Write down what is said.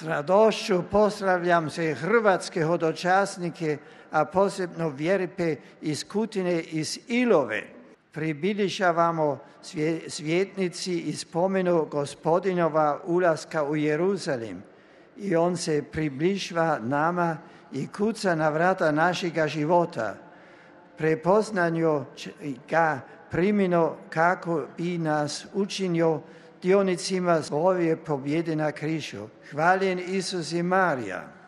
S radošću pozdravljam sve hrvatske hodočasnike, a posebno vjerpe iz Kutine, iz Ilove. Približavamo svjetnici i spomenu Gospodinova ulaska u Jeruzalem. I on se približava nama i kuca na vrata našega života. Prepoznanju ga primimo kako bi nas učinio dionicima svoje pobjede na križu. Hvaljen Isus i Marija.